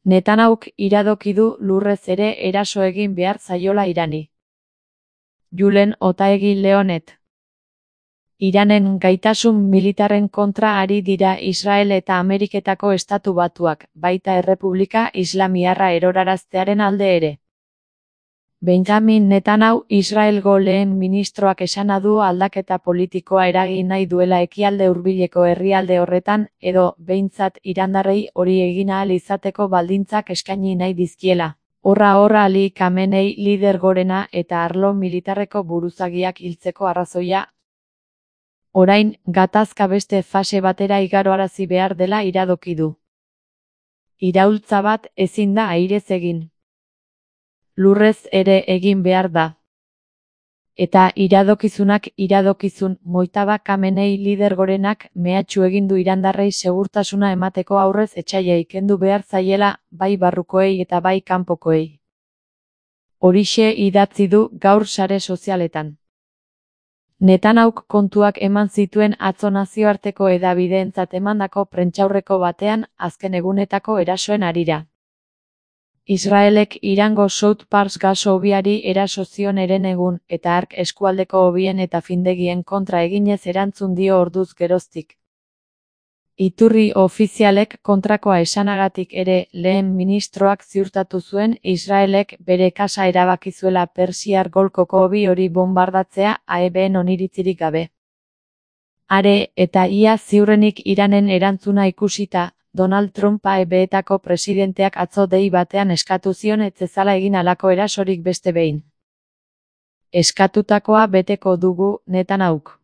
Netanyahuk iradoki du lurrez ere eraso egin behar zaiola Irani. Julen Otaegi Leonet. Iranen gaitasun militarren kontra ari dira Israel eta Ameriketako Estatu Batuak, baita Errepublika Islamiarra eroraraztearen alde ere. Benjamin Netanyahu Israelgo lehen ministroak esana du aldaketa politikoa eragin nahi duela ekialde hurbileko herrialde horretan, edo, behintzat irandarrei hori egin ahal izateko baldintzak eskaini nahi dizkiela. Horra Ali Khamenei lider gorena eta arlo militarreko buruzagiak hiltzeko arrazoia. Orain, gatazka beste fase batera igaroarazi behar dela iradoki du. Iraultza bat ezin da airez egin. Lurrez ere egin behar da. Eta iradokizunak iradokizun, Mojtaba Khamenei lider gorenak mehatxu egin du irandarrei segurtasuna emateko aurrez etsaia kendu behar zaiela, bai barrukoei eta bai kanpokoei. Horixe idatzi du gaur sare sozialetan. Netanyahuk kontuak eman zituen atzo nazioarteko hedabideentzat emandako prentsaurreko batean, azken egunetako erasoen harira. Israelek Irango South Pars gas hobiari eraso zion herenegun, eta hark eskualdeko hobien eta findegien kontra eginez erantzun dio orduz geroztik. Iturri ofizialek kontrakoa esanagatik ere, lehen ministroak ziurtatu zuen Israelek bere kasa erabakizuela Persiar golkoko hobi hori bombardatzea AEBen oniritzirik gabe. Are, eta ia ziurrenik Iranen erantzuna ikusita, Donald Trump AEBetako presidenteak atzo dei batean eskatu zion ez zezala egin halako erasorik beste behin. Eskatutakoa beteko dugu, Netanyahuk.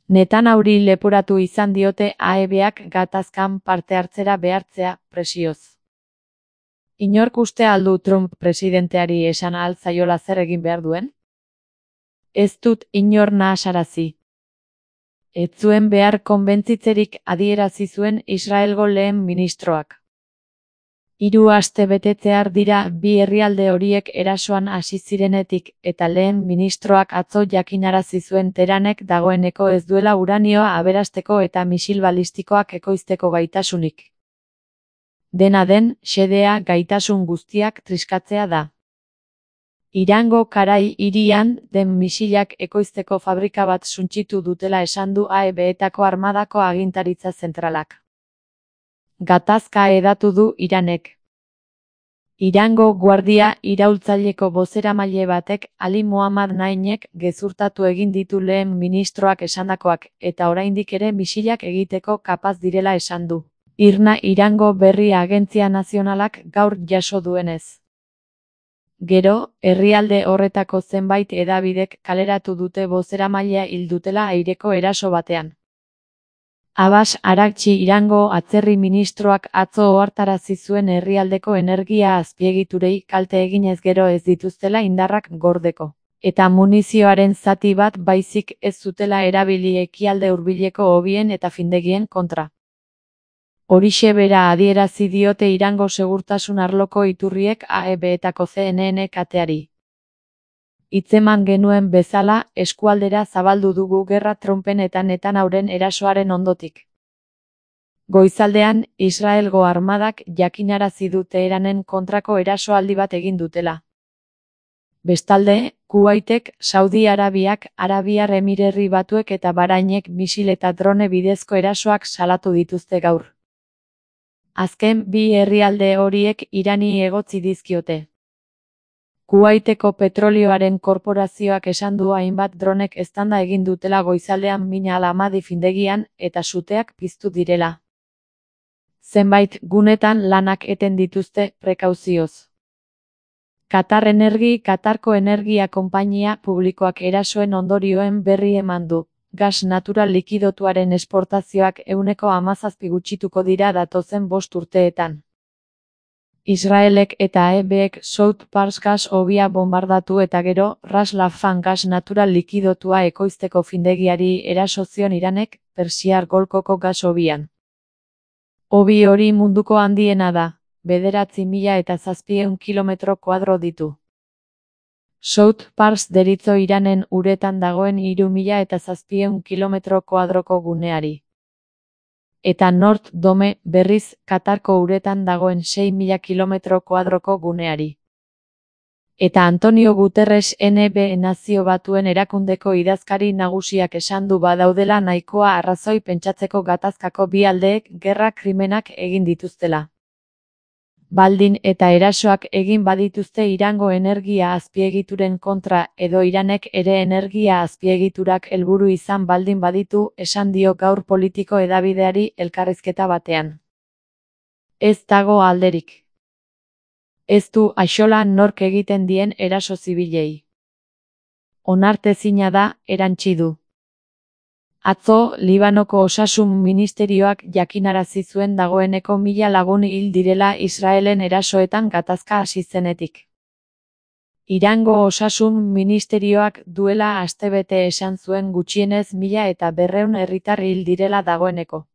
Netanyahuri leporatu izan diote AEBak gatazkan parte hartzera behartzea, presioz. Inork uste al du Trump presidenteari esan ahal zaiola zer egin behar duen? Ez dut inor nahasarazi. Ez zuen behar konbentzitzerik adierazi zuen Israelgo lehen ministroak. 3 aste betetzear dira bi herrialde horiek erasoan hasi zirenetik, eta lehen ministroak atzo jakinarazi zuen Teheranek dagoeneko ez duela uranioa aberasteko eta misil balistikoak ekoizteko gaitasunik. Dena den, xedea gaitasun guztiak triskatzea da. Irango Karai hirian den misilak ekoizteko fabrika bat suntsitu dutela esan du AEBetako armadako agintaritza zentralak. Gatazka hedatu du Iranek. Irango guardia iraultzaileko bozeramaile batek Ali Mohammad Nahyanek gezurtatu egin ditu lehen ministroak esandakoak, eta oraindik ere misilak egiteko kapaz direla esan du. IRNA Irango Berri Agentzia Nazionalak gaur jaso duenez. Gero, herrialde horretako zenbait hedabidek kaleratu dute bozeramailea hil dutela aireko eraso batean. Abbas Araghchi Irango atzerri ministroak atzo ohartarazi zuen herrialdeko energia azpiegiturei kalte eginez gero ez dituztela indarrak gordeko, eta munizioaren zati bat baizik ez zutela erabili ekialde hurbileko hobien eta findegien kontra. Horixe bera adierazi diote Irango segurtasun arloko iturriek AEBetako CNN kateari. Hitzeman genuen bezala, eskualdera zabaldu dugu gerra Trumpen eta Netanyahuren erasoaren ondotik. Goizaldean, Israelgo armadak jakinarazi du Teheranen kontrako erasoaldi bat egin dutela. Bestalde, Kuwaitek, Saudi Arabiak, Arabiar Emirerri Batuek eta Bahrainek misil eta drone bidezko erasoak salatu dituzte gaur. Azken bi herrialde horiek Irani egotzi dizkiote. Kuwaiteko petrolioaren korporazioak esan du hainbat dronek eztanda egin dutela goizaldean Min al-Hamadi findegian, eta suteak piztu direla. Zenbait gunetan lanak eten dituzte prekauzioz. Qatar Energy Qatarko energia konpainia publikoak erasoen ondorioen berri eman du. Gas natural likidotuaren esportazioak 17% gutxituko dira datozen 5 urteetan. Israelek eta AEBek South Pars gas hobia bombardatu eta gero, Ras Laffan gas natural likidotua ekoizteko findegiari eraso zion Iranek, Persiar golkoko gas hobian. Hobi hori munduko handiena da, 9.700 kilometro kuadro ditu. South Pars deritzo Iranen uretan dagoen 3.700 kilometro kuadroko guneari. eta North Dome, berriz, Katarko uretan dagoen 6.000 kilometro kuadroko guneari. Eta Antonio Guterres NB Nazio Batuen erakundeko idazkari nagusiak esan du badaudela nahikoa arrazoi pentsatzeko gatazkako bi aldeek gerra krimenak egin dituztela. Baldin eta erasoak egin badituzte Irango energia azpiegituren kontra edo Iranek ere energia azpiegiturak helburu izan baldin baditu, esan dio gaur Politiko hedabideari elkarrizketa batean. Ez dago alderik. Ez du axola nork egiten dien eraso zibilei. Onartezina da, erantsi du. Atzo, Libanoko Osasun Ministerioak jakinarazi zuen dagoeneko 1000 lagun hil direla Israelen erasoetan gatazka hasi zenetik. Irango Osasun Ministerioak duela astebete esan zuen gutxienez 1200 herritar hil direla dagoeneko.